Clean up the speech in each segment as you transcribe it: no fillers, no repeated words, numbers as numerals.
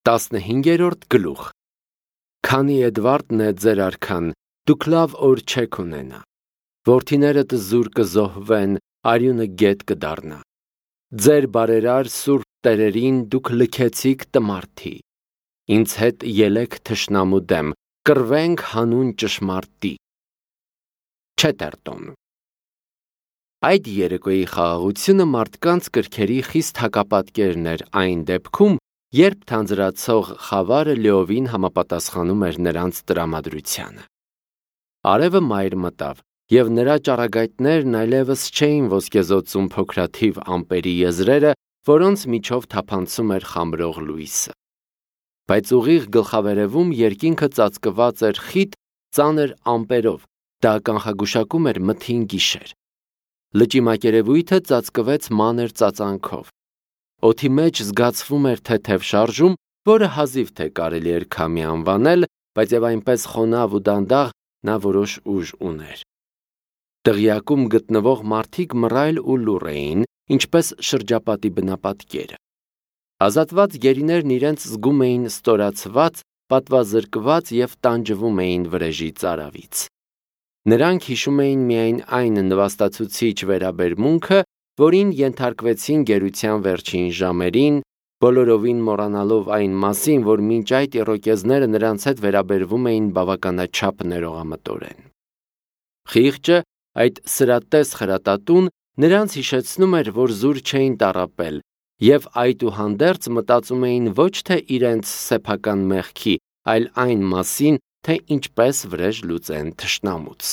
15-րդ գլուխ։ Քանի Էդվարդն է ձեր արքան, դուք լավ օր չեք ունենա։ Որդիներդ զուր կզոհվեն, արյունը գետ կդառնա։ Ձեր բարերար սուրբ տերերին դուք լքեցիք տմարդի։ Ինձ հետ ելեք թշնամու դեմ, կռվենք հանուն ճշմարտի։ Չետերտոն։ Այդ երեկոյի խաղաղությունը մարդկանց կրքերի խիստ հակապատկերն էր այն դեպքում, երբ թանձրացող խավարը լիովին համապատասխանում էր նրանց տրամադրությանը։ Արևը մայր մտավ, և նրա ճառագայթներն այլևս չէին ոսկեզօծում փոքրաթիվ ամպերի եզրերը, որոնց միջով թափանցում էր խամրող լույսը։ Բայց ուղիղ գլխավերևում երկինքը ծածկված էր խիտ, ծանր ամպերով, դա կանխագուշակում էր մթին գիշեր։ Լճի մակերևույթը ծածկվեց մանր ծածանքով։ Օդի մեջ զգացվում էր թեթև շարժում, որը հազիվ թե կարելի էր քամի անվանել, բայց եւ այնպես խոնավ ու դանդաղ նա որոշ ուժ ուներ։ Դղյակում գտնվող մարդիկ մռայլ ու լուռ էին, ինչպես շրջապատի բնապատկերը։ Ազատված գերիներն իրենց զգում էին ստորացված, պատվազրկված եւ տանջվում էին վրեժի ծարավից։ Նրանք հիշում էին միայն այն նվաստացուցիչ վերաբերմունքը, որին ենթարկվեցին գերության վերջին ժամերին, բոլորովին մոռանալով այն մասին, որ մինչ այդ իռոկեզները նրանց հետ վերաբերվում էին բավականաչափ ներողամտորեն։ Խիղճը, այդ սրատես խրատատուն, նրանց հիշեցնում էր, որ զուր չէին տառապել, և այդուհանդերձ մտածում էին ոչ թե իրենց սեփական մեղքի, այլ այն մասին, թե ինչպես վրեժ լուծեն թշնամուց։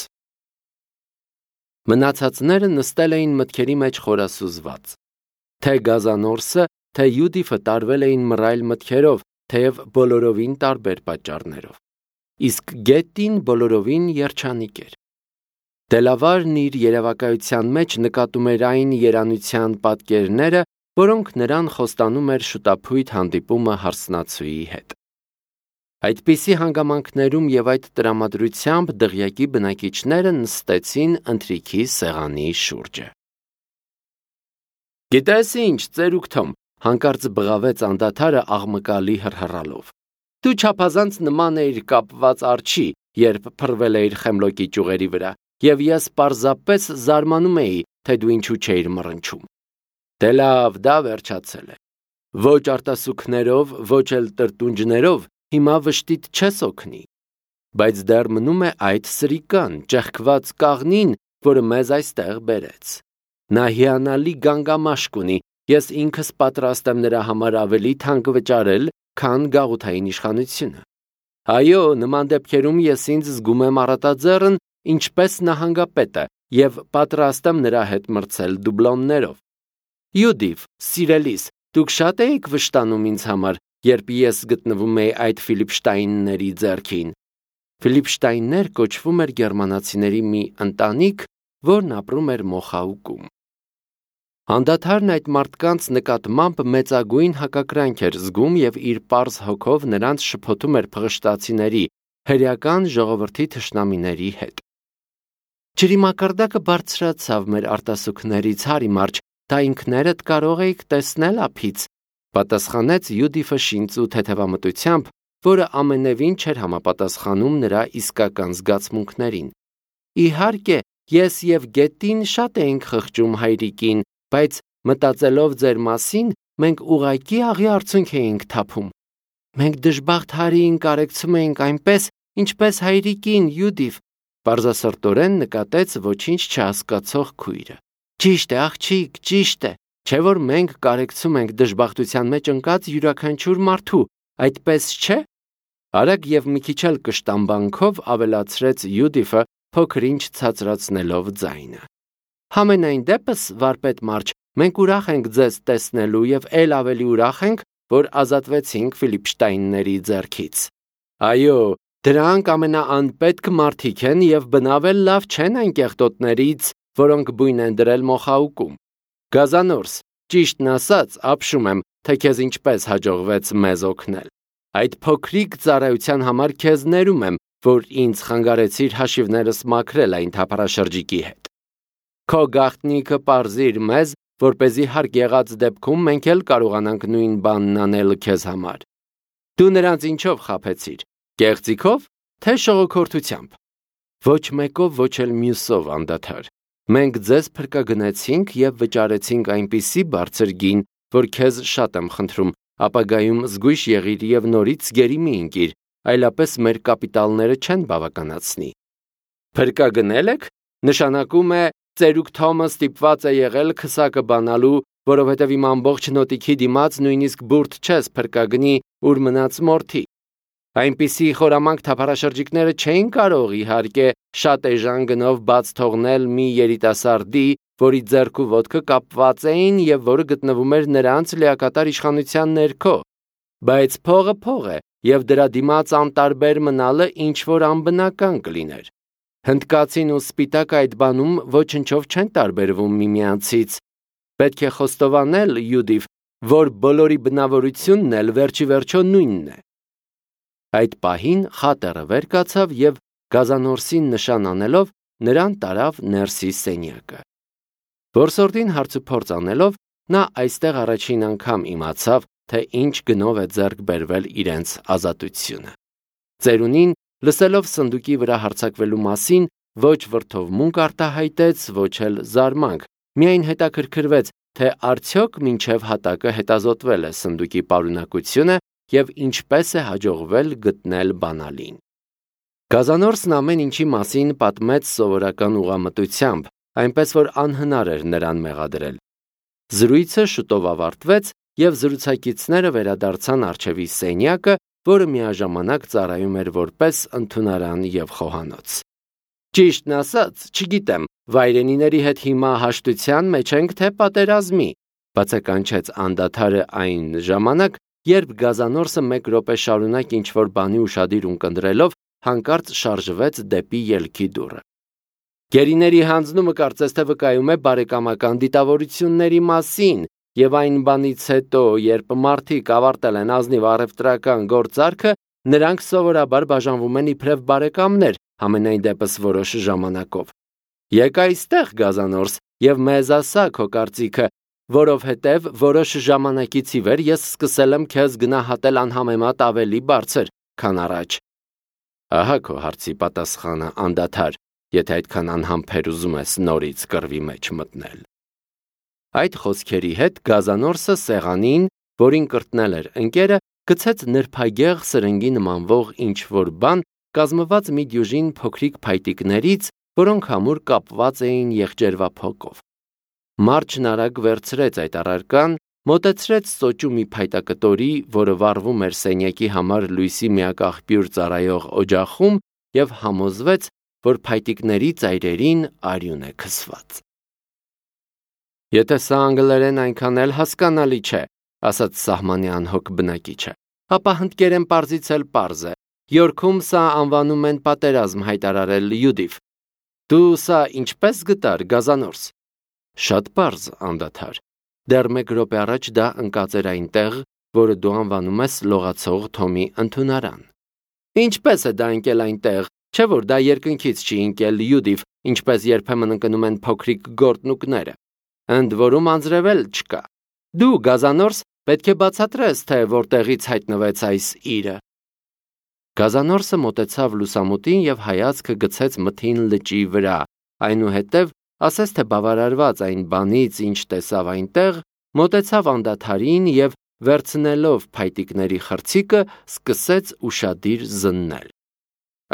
Մնացածները նստել էին մտքերի մեջ խորասուզված։ Թե Գազանորսը, թե Յուդիֆը տարվել էին մռայլ մտքերով, թեև բոլորովին տարբեր պատճառներով։ Իսկ Գետին բոլորովին երջանիկ էր։ Դելավարն իր երևակայության մեջ նկատում էր այն երանության պատկերները, որոնք նրան խոստանում էր շուտափույթ հանդիպումը հարսնացուի հետ։ Այդպիսի հանգամանքներում և այդ տրամադրությամբ դղյակի բնակիչները նստեցին ընթրիքի սեղանի շուրջը։ Գիտես ինչ, ծերուկ Թոմ, հանկարծ բղավեց անդադարը աղմկալի հռհռալով։ Դու չափազանց նման էիր կապված արջի, երբ փռվել էիր խեմլոկի ճյուղերի վրա, և ես պարզապես զարմանում էի, թե դու ինչու չէիր մռնչում։ Դե լավ, դա վերջացել է։ Ոչ արտասուքներով, ոչ էլ տրտունջներով հիմա վշտիդ չես օգնի, բայց դեռ մնում է այդ սրիկան, ճեղքված կաղնին, որը մեզ այստեղ բերեց։ Նա հիանալի գանգամաշկ ունի, ես ինքս պատրաստ եմ նրա համար ավելի թանկ վճարել, քան գաղութային իշխանությունը։ Այո, նման դեպքերում ես ինձ զգում եմ առատաձեռն, ինչպես նահանգապետը, և պատրաստ եմ նրա հետ մրցել դուբլոններով։ Յուդիֆ, սիրելիս, դուք շատ էիք վշտանում ինձ համար, երբ ես գտնվում էի այդ Ֆիլիպշտայնների ձեռքին։ Ֆիլիպշտայններ կոչվում էր գերմանացիների մի ընտանիք, որն ապրում էր Մոխաուկում։ Անդադարն այդ մարդկանց նկատմամբ մեծագույն հակակրանք էր զգում և իր պարզ հոգով նրանց շփոթում էր փղշտացիների, հրեական ժողովրդի թշնամիների հետ։ Ջրի մակարդակը բարձրացավ մեր արտասուքներից, Հարի մարջ, դա ինքներդ կարող էիք տեսնել ափից, պատասխանեց Յուդիֆը շինծ ու թեթևամտությամբ, որը ամենևին չէր համապատասխանում նրա իսկական զգացմունքներին։ Իհարկե, ես և Գետին շատ էինք խղճում հայրիկին, բայց մտածելով ձեր մասին, մենք ուղղակի աղի արցունք էինք թափում։ Մենք դժբախտ Հարիին կարեկցում էինք այնպես, ինչպես հայրիկին, Յուդիֆ, պարզասրտորեն նկատեց ոչինչ չհասկացող քույրը։ Ճիշտ է, աղջիկ, ճիշտ է, չէ՞ որ մենք կարեկցում ենք դժբախտության մեջ ընկած յուրաքանչյուր մարդու, այդպես չէ։ Արագ և մի քիչ էլ կշտամբանքով ավելացրեց Յուդիֆը, փոքր-ինչ ցածրացնելով ձայնը։ Համենայն դեպս, վարպետ մարջ, մենք ուրախ ենք ձեզ տեսնելու և էլ ավելի ուրախ ենք, որ ազատվեցինք Ֆիլիպշտայնների ձեռքից։ Այո, դրանք ամենաանպետք մարդիկ են և բնավ էլ լավ չեն այն կեղտոտներից, որոնք բույն են դրել Մոխաուկում։ Գազանորս, ճիշտն ասած, ապշում եմ, թե քեզ ինչպես հաջողվեց մեզ օգնել։ Այդ փոքրիկ ծառայության համար քեզ ներում եմ, որ ինձ խանգարեցիր հաշիվներս մաքրել այն թափառաշրջիկի հետ։ Քո գաղտնիքը պարզիր մեզ, որպեսզի հարկ եղած դեպքում մենք էլ կարողանանք նույն բանն անել քեզ համար։ Դու նրանց ինչով խաբեցիր, կեղծիքով, թե շողոքորթությամբ։ Ոչ մեկով, ոչ էլ մյուսով անդադար։ Մենք ձեզ փրկագնեցինք և վճարեցինք այնպիսի բարձր գին, որ քեզ շատ եմ խնդրում, ապագայում զգույշ եղիր և նորից գերի մի ընկիր, այլապես մեր կապիտալները չեն բավականացնի։ Փրկագնել եք, նշանակում է ծերուկ Թոմը ստիպված է եղել քսակը բանալու, որովհետև իմ ամբողջ նոտիքի դիմաց նույնիսկ բուրդ չես փրկագնի, ուր մնաց մորթի։ Այնպիսի խորամանկ թափառաշրջիկները չէին կարող, իհարկե, շատ էժան գնով բաց թողնել մի երիտասարդի, որի ձեռք ու ոտքը կապված էին և որը գտնվում էր նրանց լիակատար իշխանության ներքո, բայց փողը փող է, և դրա դիմաց անտարբեր մնալը ինչ-որ անբնական կլիներ։ Հնդկացին ու սպիտակը այդ բանում ոչնչով չեն տարբերվում միմյանցից։ Պետք է խոստովանել, Յուդիվ, որ բոլորի բնավորությունն էլ վերջիվերջո նույնն է։ Այդ պահին խատերը վեր կացավ և գազանորսին նշան անելով նրան տարավ ներսի սենյակը։ Որսորդին հարցուփորձ անելով նա այստեղ առաջին անգամ իմացավ, թե ինչ գնով է ձեռք բերվել իրենց ազատությունը։ Ծերունին, լսելով սնդուկի վրա հարձակվելու մասին, ոչ վրդովմունք արտահայտեց, ոչ էլ զարմանք, միայն հետաքրքրվեց, թե արդյոք մինչև հատակը հետազոտվել է սնդուկի պարունակությունը և ինչպես է հաջողվել գտնել բանալին։ Գազանորսն ամեն ինչի մասին պատմեց սովորական ուղղամտությամբ, այնպես որ անհնար էր նրան մեղադրել։ Զրույցը շուտով ավարտվեց և զրուցակիցները վերադարձան առջևի սենյակը, որը միաժամանակ ծառայում էր որպես ընդունարան և խոհանոց։ Ճիշտն ասած, չգիտեմ, վայրենիների հետ հիմա հաշտության մեջ ենք, թե պատերազմի, բացականչեց անդադարը այն ժամանակ, երբ գազանորսը մեկ րոպե շարունակ ինչ-որ բանի ուշադիր ունկնդրելով հանկարծ շարժվեց դեպի ելքի դուռը։ Գերիների հանձնումը կարծես թե վկայում է բարեկամական դիտավորությունների մասին, և այն բանից հետո, երբ մարդիկ ավարտել են ազնիվ առևտրական գործարքը, նրանք սովորաբար բաժանվում են իբրև բարեկամներ, համենայն դեպս որոշ ժամանակով։ Եկ այստեղ, գազանորս, և մեզ ասա քո կարծիքը, որովհետև որոշ ժամանակից ի վեր ես սկսել եմ քեզ գնահատել անհամեմատ ավելի բարձր, քան առաջ։ Ահա քո հարցի պատասխանը, անդադար, եթե այդքան անհամբեր ուզում ես նորից կռվի մեջ մտնել։ Այդ խոսքերի հետ գազանորսը սեղանին, որին կրտնել էր ընկերը, գցեց նրբագեղ սրնգի նմանվող ինչ-որ բան, կազմված մի դյուժին փոքրիկ փայտիկներից, որոնք ամուր կապված էին եղջերվափոկով։ Մարջն արագ վերցրեց այդ առարկան, մոտեցրեց սոճու մի փայտակտորի, որը վառվում էր սենյակի համար լույսի միակ աղբյուր ծառայող օջախում, և համոզվեց, որ փայտիկների ծայրերին արյուն է քսված։ Եթե սա անգլերեն այնքան էլ հասկանալի չէ, ասաց սահմանի անհոգ բնակիչը, ապա հնդկերեն պարզից էլ պարզ է։ Յորքում սա անվանում են պատերազմ հայտարարել, Յուդիվ։ Դու սա ինչպես գտար, գազանորս։ Շատ պարզ, անդադար։ Դեռ մեկ րոպե առաջ դա ընկած էր այնտեղ, որը դու անվանում ես լողացող Թոմի ընդունարան։ Ինչպես է դա ընկել այնտեղ, չէ՞ որ դա երկնքից չի ընկել, Յուդիվ, ինչպես երբեմն ընկնում են փոքրիկ գորտնուկները։ Ընդ որում անձրևել չկա։ Դու, գազանորս, պետք է բացատրես, թե որտեղից հայտնվեց այս իրը։ Գազանորսը մոտեցավ լուսամուտին և հայացքը գցեց մթին լճի վրա, այնուհետև, ասես թե բավարարված այն բանից, ինչ տեսավ այնտեղ, մոտեցավ անդադարին և, վերցնելով փայտիկների խրցիկը, սկսեց ուշադիր զննել։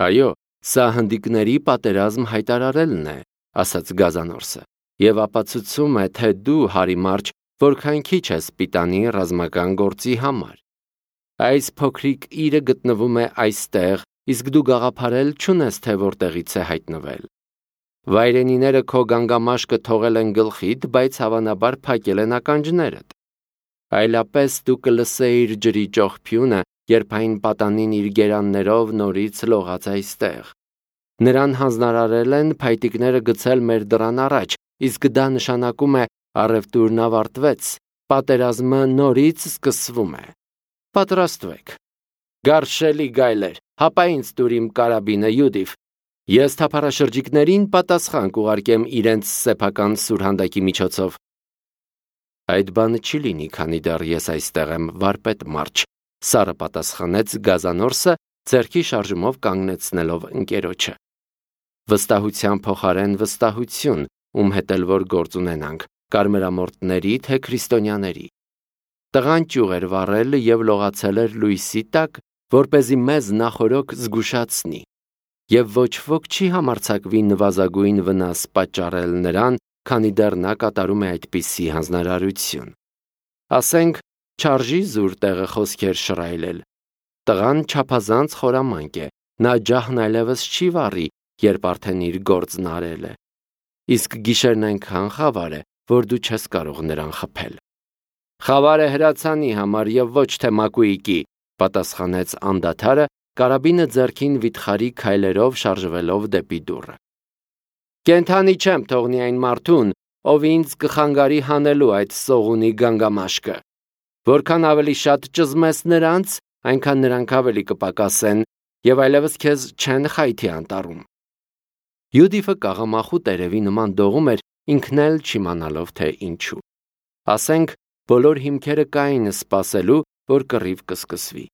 Այո, սա հնդիկների պատերազմ հայտարարելն է, ասաց գազանորսը, և ապացուցում է, թե դու, հարիմարջ, որքան քիչ ես պիտանի ռազմական գործի համար։ Այս փոքրիկ իրը գտնվում է այստեղ, իսկ դու գաղափարել չունես, թե որտեղից է հայտնվել։ Վայրենիները քո գանգամաշկը թողել են գլխիդ, բայց հավանաբար փակել են ականջներդ։ Այլապես դու կլսեիր ջրի ճողփյունը, երբ այն պատանին իր գերաններով նորից լողաց այստեղ։ Նրան հանձնարարել են փայտիկները գցել մեր դռան առաջ, իսկ դա նշանակում է առևտուրն ավարտվեց, պատերազմը նորից սկսվում է։ Պատրաստվեք։ Գարշելի գայլեր, հապա ինձ տուր իմ կարաբինը, Յուդիվ։ Ես թափառաշրջիկներին պատասխան կուղարկեմ իրենց սեփական սուրհանդակի միջոցով։ Այդ բանը չի լինի, քանի դեռ ես այստեղ եմ, վարպետ մարջ, Սարը պատասխանեց գազանորսը, ձեռքի շարժումով կանգնեցնելով ընկերոջը։ Վստահության փոխարեն վստահություն, ում հետ էլ որ գործ ունենանք, կարմրամորտների թե քրիստոնյաների։ Տղան ճյուղ էր վառել և լողացել էր լույսի տակ, որպեսզի մեզ նախօրոք զգուշացնի, և ոչ ոք չի համարձակվի նվազագույն վնաս պատճառել նրան, քանի դեռ նա կատարում է այդպիսի հանձնարարություն։ Ասենք, չարժի զուր տեղը խոսքեր շռայլել։ Տղան չափազանց խորամանկ է, նա ջահն այլևս չի վառի, երբ արդեն իր գործն արել է։ Իսկ գիշերն այնքան խավար է, որ դու չես կարող նրան խփել։ Խավարը հրացանի համար և ոչ թե մակույկի, պատասխանեց անդադարը, կարաբինը ձեռքին վիթխարի քայլերով շարժվելով դեպի դուռը։ Կենդանի չեմ թողնի այն մարդուն, ով ինձ կխանգարի հանելու այդ սողունի գանգամաշկը։ Որքան ավելի շատ ճզմես նրանց, այնքան նրանք ավելի կպակասեն և այլևս քեզ չեն խայթի անտառում։ Յուդիֆը կաղամախու տերևի նման դողում էր, ինքն էլ չիմանալով թե ինչու։ Ասենք, բոլոր հիմքերը կային սպասելու, որ կռիվ կսկսվի։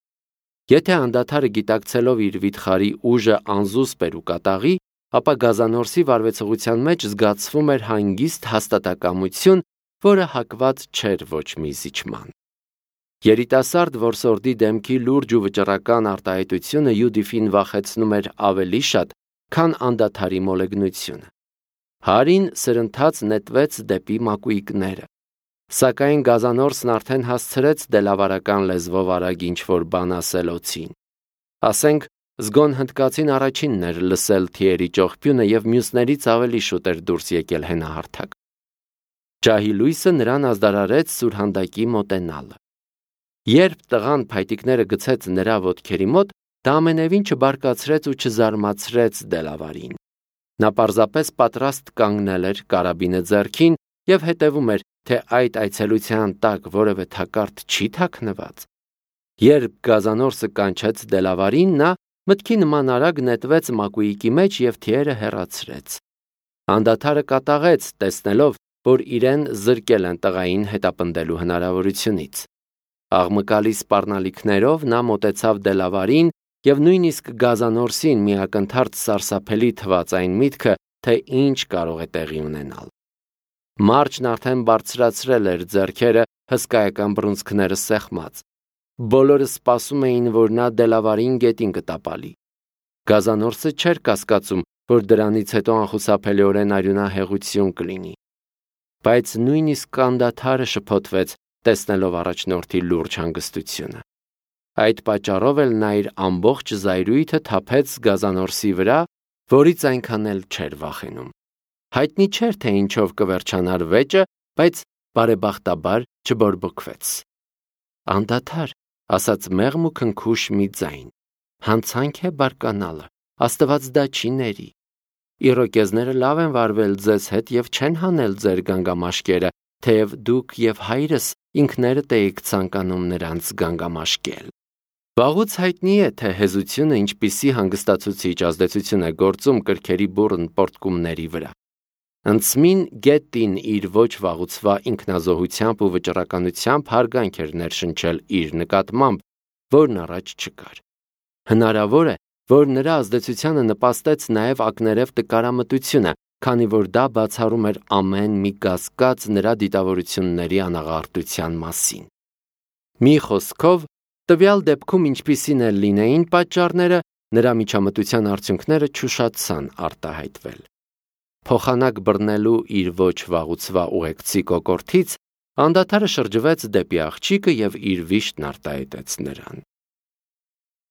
Եթե անդադարը գիտակցելով իր վիթխարի ուժը անզուսպ էր ու կատաղի, ապա գազանորսի վարվեցողության մեջ զգացվում էր հանգիստ հաստատակամություն, որը հակված չէր ոչ մի զիջման։ Երիտասարդ որսորդի դեմքի լուրջ ու վճռական արտահայտությունը Յուդիֆին վախեցնում էր ավելի շատ, քան անդադարի մոլեգնությունը։ Հարին սրընթաց նետվեց դեպի մակույկները։ Սակայն գազանորսն արդեն հասցրեց դելավարական լեզվով արագ ինչ-որ բան ասել օձին։ Ասենք, զգոն հնդկացին առաջինն էր լսել թիերի ճողփյունը և մյուսներից ավելի շուտ էր դուրս եկել հենահարթակ։ Ջահի լույսը նրան ազդարարեց սուրհանդակի մոտենալը։ Երբ տղան փայտիկները գցեց նրա ոտքերի մոտ, դա ամենևին չբարկացրեց ու չզարմացրեց դելավարին։ Նա պարզապես պատրաստ կանգնել էր կարաբինը ձեռքին և հետևում էր, թե այդ այցելության տակ որևէ թակարդ չի թաքնված։ Երբ գազանորսը կանչեց դելավարին, նա մտքի նման արագ նետվեց մակույկի մեջ և թիերը հեռացրեց։ Անդադարը կատաղեց, տեսնելով, որ իրեն զրկել են տղային հետապնդելու հնարավորությունից։ Աղմկալի սպառնալիքներով նա մոտեցավ դելավարին և նույնիսկ գազանորսին մի ակնթարթ սարսափելի թվաց այն միտքը, թե ինչ կարող է տեղի ունենալ։ Մարջն արդեն բարձրացրել էր ձեռքերը, հսկայական բռունցքները սեղմած։ Բոլորը սպասում էին, որ նա դելավարին գետին կտապալի։ Գազանորսը չէր կասկածում, որ դրանից հետո անխուսափելիորեն արյունահեղություն կլինի։ Բայց նույնիսկ անդադարը շփոթվեց, տեսնելով առաջնորդի լուրջ հանգստությունը։ Այդ պատճառով էլ նա իր ամբողջ զայրույթը թափեց գազանորսի վրա, որից այնքան էլ չէր վախենում։ Հայտնի չէր, թե ինչով կվերջանար վեճը, բայց բարեբախտաբար չբորբոքվեց։ Անդադար, ասաց մեղմ ու քնքուշ մի ձայն, հանցանք է բարկանալը, Աստված դա չի ների։ Իրոկեզները լավ են վարվել ձեզ հետ և չեն հանել ձեր գանգամաշկերը, թեև դուք և հայրս ինքներդ էիք ցանկանում նրանց գանգամաշկել։ Վաղուց հայտնի է, թե հեզությունը ինչպիսի հանգստացուցիչ ազդեցություն է գործում կրքերի բուռն պոռթկումների վրա։ Ընծմին գետին իր ոչ վաղուցվա ինքնազոհությամբ ու վճռականությամբ հարգանք էր ներշնչել իր նկատմամբ, որն առաջ չկար։ Հնարավոր է, որ նրա ազդեցությանը նպաստեց նաև ակներև տկարամտությունը, քանի որ դա բացառում էր ամեն մի կասկած նրա դիտավորությունների անաղարտության մասին։ Մի խոսքով, տվյալ դեպքում ինչպիսին էլ լինեին պատճառները, նրա միջամտության արդյունքները չուշացան արտահայտվել։ Փոխանակ բռնելու իր ոչ վաղուցվա ուղեկցի կոկորդից, անդադարը շրջվեց դեպի աղջիկը և իր վիշտն արտահայտեց նրան։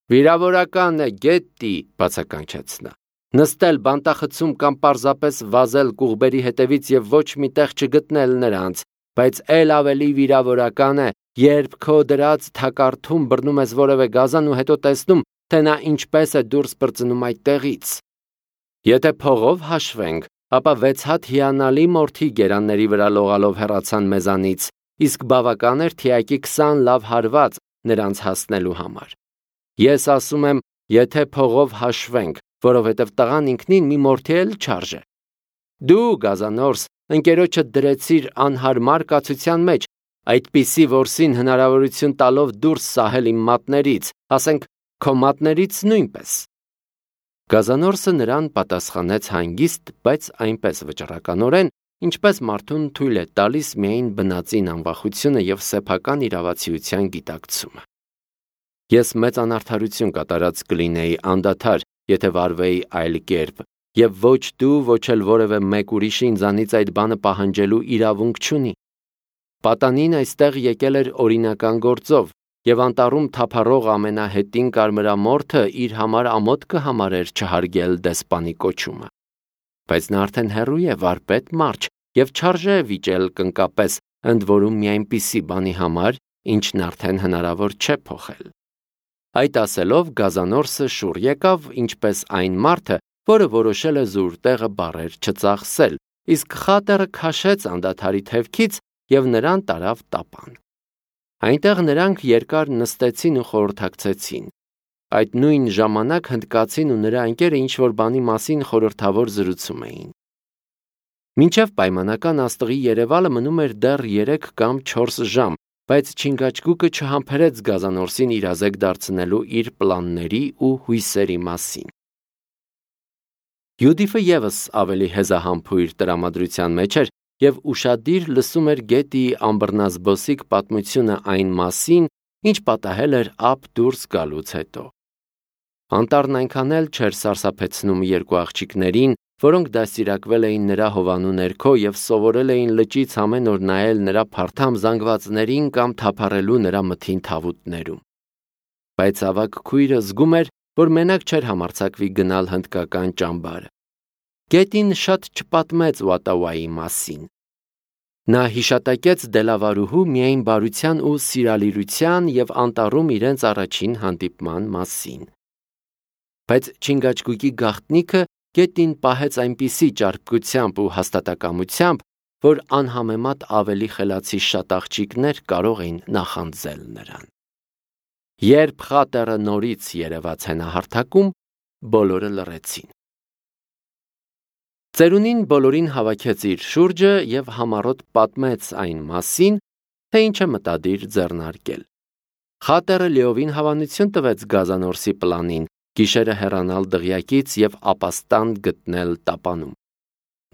Վիրավորական է, գետի, բացականչեց նա։ Նստել բանտախցում կամ պարզապես վազել կուղբերի հետևից և ոչ մի տեղ չգտնել նրանց, բայց էլ ավելի վիրավորական է, երբ քո դրած թակարդում բռնում ես որևէ գազան ու հետո տեսնում, թե նա ինչպես է դուրս պրծնում այդտեղից։ Եթե փողով հաշվենք, ապա 6 հատ հիանալի մորթի գերանների վրա լողալով հեռացան մեզանից, իսկ բավական էր թիակի 20 լավ հարված նրանց հասնելու համար։ Ես ասում եմ, եթե փողով հաշվենք, որովհետև տղան ինքնին մի մորթի էլ չարժե։ Դու, գազանորս, ընկերոջդ դրեցիր անհարմար կացության մեջ, այդպիսի որսին հնարավորություն տալով դուրս սահել իմ մատներից, ասենք քո մատներից նույնպես։ Գազանորսը նրան պատասխանեց հանգիստ, բայց այնպես վճռականորեն, ինչպես մարդուն թույլ է տալիս միայն բնածին անվախությունը եւ սեփական իրավացիության գիտակցումը։ Ես մեծ անարդարություն կատարած կլինեի անդադար, եթե վարվեի այլ կերպ, եւ ոչ դու, ոչ էլ որևէ մեկ ուրիշը ինձանից այդ բանը պահանջելու իրավունք չունի։ Պատանին այստեղ եկել էր օրինական գործով, եւ անտառում թափառող ամենահետին կարմրամորթը իր համար ամոթ կհամարեր չհարգել դեսպանի կոչումը։ Բայց նա արդեն հեռու է վարպետ մարջ եւ չարժե վիճել կնկապես, ընդ որում մի այնպիսի բանի համար, ինչն արդեն հնարավոր չէ փոխել։ Այդ ասելով Գազանորսը շուռ եկավ, ինչպես այն մարդը, որը որոշել է զուր տեղը բառեր չծախսել, իսկ խատերը քաշեց անդադարի թևքից եւ նրան տարավ տապան։ Այնտեղ նրանք երկար նստեցին ու խորհրդակցեցին։ Այդ նույն ժամանակ հնդկացին ու նրա ընկերը ինչ-որ բանի մասին խորհրդավոր զրուցում էին։ Մինչև պայմանական աստղի երևալը մնում էր դեռ 3 կամ 4 ժամ, բայց Չինգաչգուկը չհամբերեց Գազանորսին իրազեկ դարձնելու իր պլանների ու հույսերի մասին։ Յուդիֆը եւս ավելի հեզահամբույր տրամադրության մեջ էր եւ ուշադիր լսում էր Գետիի ամբռնազբոսիկ պատմությունը այն մասին, ինչ պատահել էր ափ դուրս գալուց հետո։ Անտառն այնքան էլ չէր սարսափեցնում երկու աղջիկներին, որոնք դաստիարակվել էին նրա հովանու ներքո եւ սովորել էին լճից ամեն օր նայել նրա փարթամ զանգվածներին կամ թափառելու նրա մթին թավուտներում։ Բայց ավագ քույրը զգում էր, որ մենակ չէր համարձակվի գնալ հնդկական ճամբարը։ Գետին շատ չպատմեց Ուատավայի մասին։ Նա հիշատակեց Դելավարուհու միայն բարության ու սիրալիրության եւ անտառում իրենց առաջին հանդիպման մասին։ Բայց Չինգաչգուկի գաղտնիքը Գետին պահեց այնպիսի ճարպկությամբ ու հաստատակամությամբ, որ անհամեմատ ավելի խելացի շատ աղջիկներ կարող էին նախանձել նրան։ Երբ խատերը նորից երևաց հենահարթակում, բոլորը լռեցին։ Ծերունին բոլորին հավաքեց իր շուրջը եւ համառոտ պատմեց այն մասին, թե ինչ է մտադիր ձեռնարկել։ Խատերը լիովին հավանություն տվեց Գազանորսի պլանին, գիշերը հեռանալ դղյակից եւ ապաստան գտնել տապանում։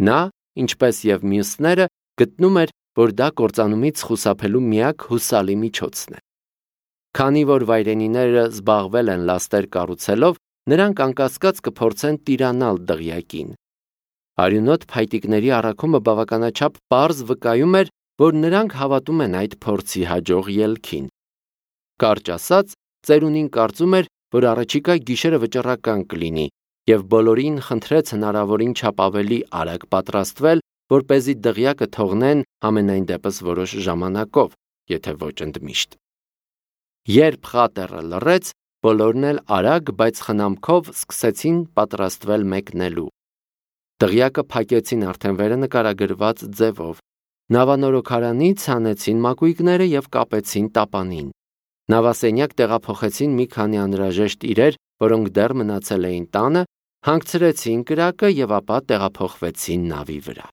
Նա, ինչպես եւ մյուսները, գտնում էր, որ դա կործանումից խուսափելու միակ հուսալի միջոցն է։ Քանի որ վայրենիները զբաղվել են լաստեր կառուցելով, նրանք անկասկած կփորձեն տիրանալ դղյակին։ Արյունոտ փայտիկների առաքումը բավականաչափ պարզ վկայում էր, որ նրանք հավատում են այդ փորձի հաջող ելքին։ Կարճ ասած, ծերունին կարծում էր, որ առաջիկա գիշերը վճռական կլինի, եւ բոլորին խնդրեց հնարավորին չափ ավելի արագ պատրաստվել, որպեսզի դղյակը թողնեն ամենայն դեպս որոշ ժամանակով, եթե ոչ ընդմիշտ։ Երբ խատերը լռեց, բոլորն էլ արագ, բայց խնամքով սկսեցին պատրաստվել մեկնելու։ Դղյակը փակեցին արդեն վերը նկարագրված ձևով։ Նավանորոգարանից հանեցին մակույկները եւ կապեցին տապանին։ Նավասենյակ տեղափոխեցին մի քանի անհրաժեշտ իրեր, որոնք դեռ մնացել էին տանը, հանգցրեցին կրակը եւ ապա տեղափոխվեցին նավի վրա։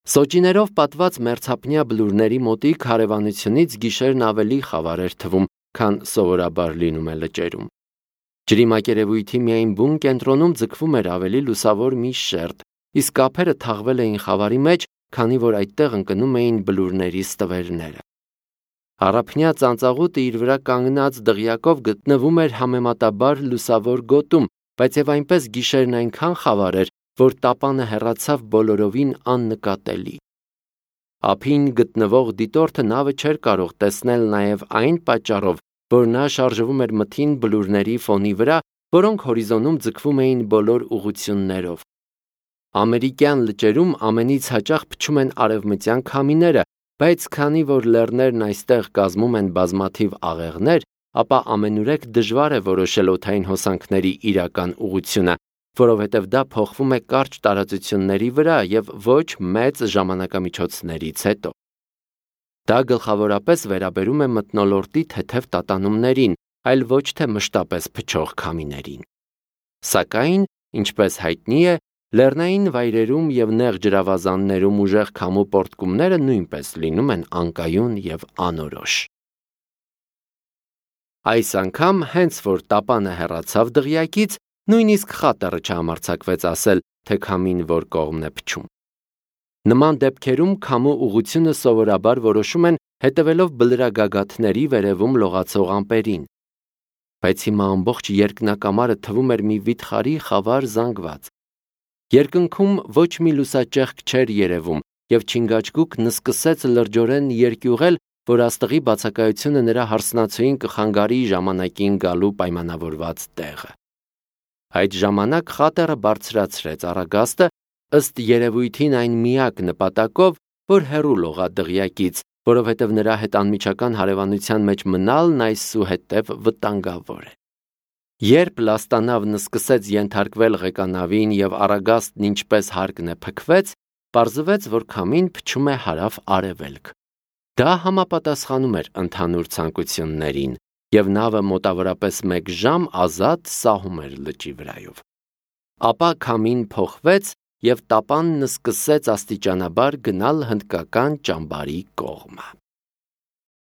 Սոճիներով պատված մերձափնյա բլուրների մոտիկ հարևանությունից գիշերն ավելի խավար էր թվում, քան սովորաբար լինում է լճերում։ Ջրի մակերևույթի միայն բուն կենտրոնում ձգվում էր ավելի լուսավոր մի շերտ, իսկ ափերը թաղվել էին խավարի մեջ, քանի որ այդտեղ ընկնում էին բլուրների ստվերները։ Առափնյա ծանծաղուտը իր վրա կանգնած դղյակով գտնվում էր համեմատաբար լուսավոր գոտում, բայց եւ այնպես գիշերն այնքան խավար էր, որ տապանը հեռացավ բոլորովին աննկատելի։ Ափին գտնվող դիտորդը նավը չէր կարող տեսնել նաեւ այն պատճառով, որ նա շարժվում էր մթին բլուրների ֆոնի վրա, որոնք հորիզոնում ձգվում էին բոլոր ուղություններով։ Ամերիկյան լճերում ամենից հաճախ փչում են արևմտյան քամիները, բայց քանի որ լեռներն այստեղ կազմում են բազմաթիվ աղեղներ, ապա ամենուրեք դժվար է որոշել օդային հոսանքների իրական ուղղությունը, որովհետև դա փոխվում է կարճ տարածությունների վրա եւ ոչ մեծ ժամանակամիջոցներից հետո։ Դա գլխավորապես վերաբերում է մթնոլորտի թեթև տատանումներին, այլ ոչ թե մշտապես փչող քամիներին։ Սակայն, ինչպես հայտնի է, Լեռնային վայրերում եւ նեղ ջրավազաններում ուժեղ քամու պոռթկումները նույնպես լինում են անկայուն եւ անորոշ։ Այս անգամ հենց որ տապանը հեռացավ դղյակից, նույնիսկ խատերը չհամարձակվեց ասել, թե քամին որ կողմն է փչում։ Նման դեպքերում քամու ուղղությունը սովորաբար որոշում են հետևելով բլրագագաթների վերևում լողացող ամպերին։ Բայց հիմա ամբողջ երկնակամարը թվում էր մի վիթխարի խավար զանգված։ Երկնքում ոչ մի լուսաճեղք չէր երևում, եւ Չինգաչգուկն սկսեց լրջորեն երկյուղել, որ աստղի բացակայությունը նրա հարսնացուին կխանգարի ժամանակին գալու պայմանավորված տեղը։ Այդ ժամանակ խատերը բարձրացրեց առագաստը, ըստ երևույթին այն միակ նպատակով, որ հեռու լողա դղյակից, որովհետև նրա հետ անմիջական հարևանության մեջ մնալն այսուհետև վտանգավոր է։ Երբ լաստանավն սկսեց ենթարկվել ղեկանավին եւ առագաստն ինչպես հարկն է փքվեց, պարզվեց, որ քամին փչում է հարավ-արևելք։ Դա համապատասխանում էր ընդհանուր ցանկություններին, եւ նավը մոտավորապես 1 ժամ ազատ սահում էր լճի վրայով։ Ապա քամին փոխվեց եւ տապանն սկսեց աստիճանաբար գնալ հնդկական ճամբարի կողմը։